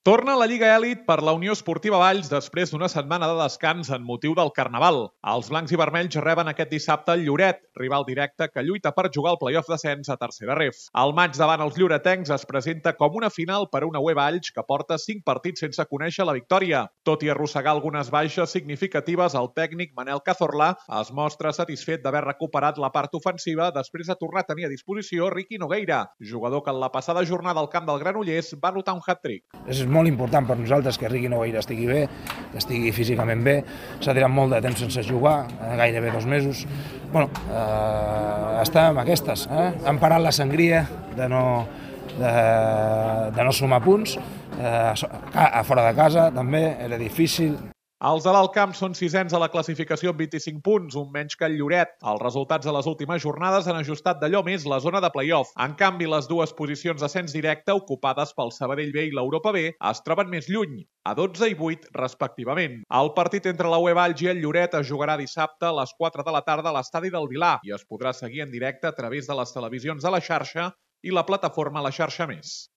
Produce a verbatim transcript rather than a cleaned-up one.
Torna la Lliga Elit per la Unió Esportiva Valls després d'una setmana de descans en motiu del Carnaval. Els blancs i vermells reben aquest dissabte el Lloret, rival directe que lluita per jugar el play-off d'ascens a tercera ref. El maig davant els lloretencs es presenta com una final per a una U E Valls que porta cinc partits sense conèixer la victòria. Tot i arrossegar algunes baixes significatives, el tècnic Manel Cazorla es mostra satisfet d'haver recuperat la part ofensiva després de tornar a tenir a disposició Riqui Nogueira, jugador que en la passada jornada al camp del Granollers va anotar un hat-trick. És molt important per nosaltres que Riqui Nogueira estigui bé, que estigui físicament bé. S'ha tirat molt de temps sense jugar, gairebé dos mesos. Bueno, eh, està amb aquestes. Eh? Han parat la sangria de no, de, de no sumar punts. Eh, a fora de casa també era difícil. Els de l'Alt Camp són sisens a la classificació amb vint-i-cinc punts, un menys que el Lloret. Els resultats de les últimes jornades han ajustat d'allò més la zona de play-off. En canvi, les dues posicions d'ascens directe, ocupades pel Sabadell B i l'Europa B, es troben més lluny, a dotze i vuit respectivament. El partit entre la U E Valls i el Lloret es jugarà dissabte a les quatre de la tarda a l'estadi del Vilar i es podrà seguir en directe a través de les televisions de la xarxa i la plataforma La Xarxa Més.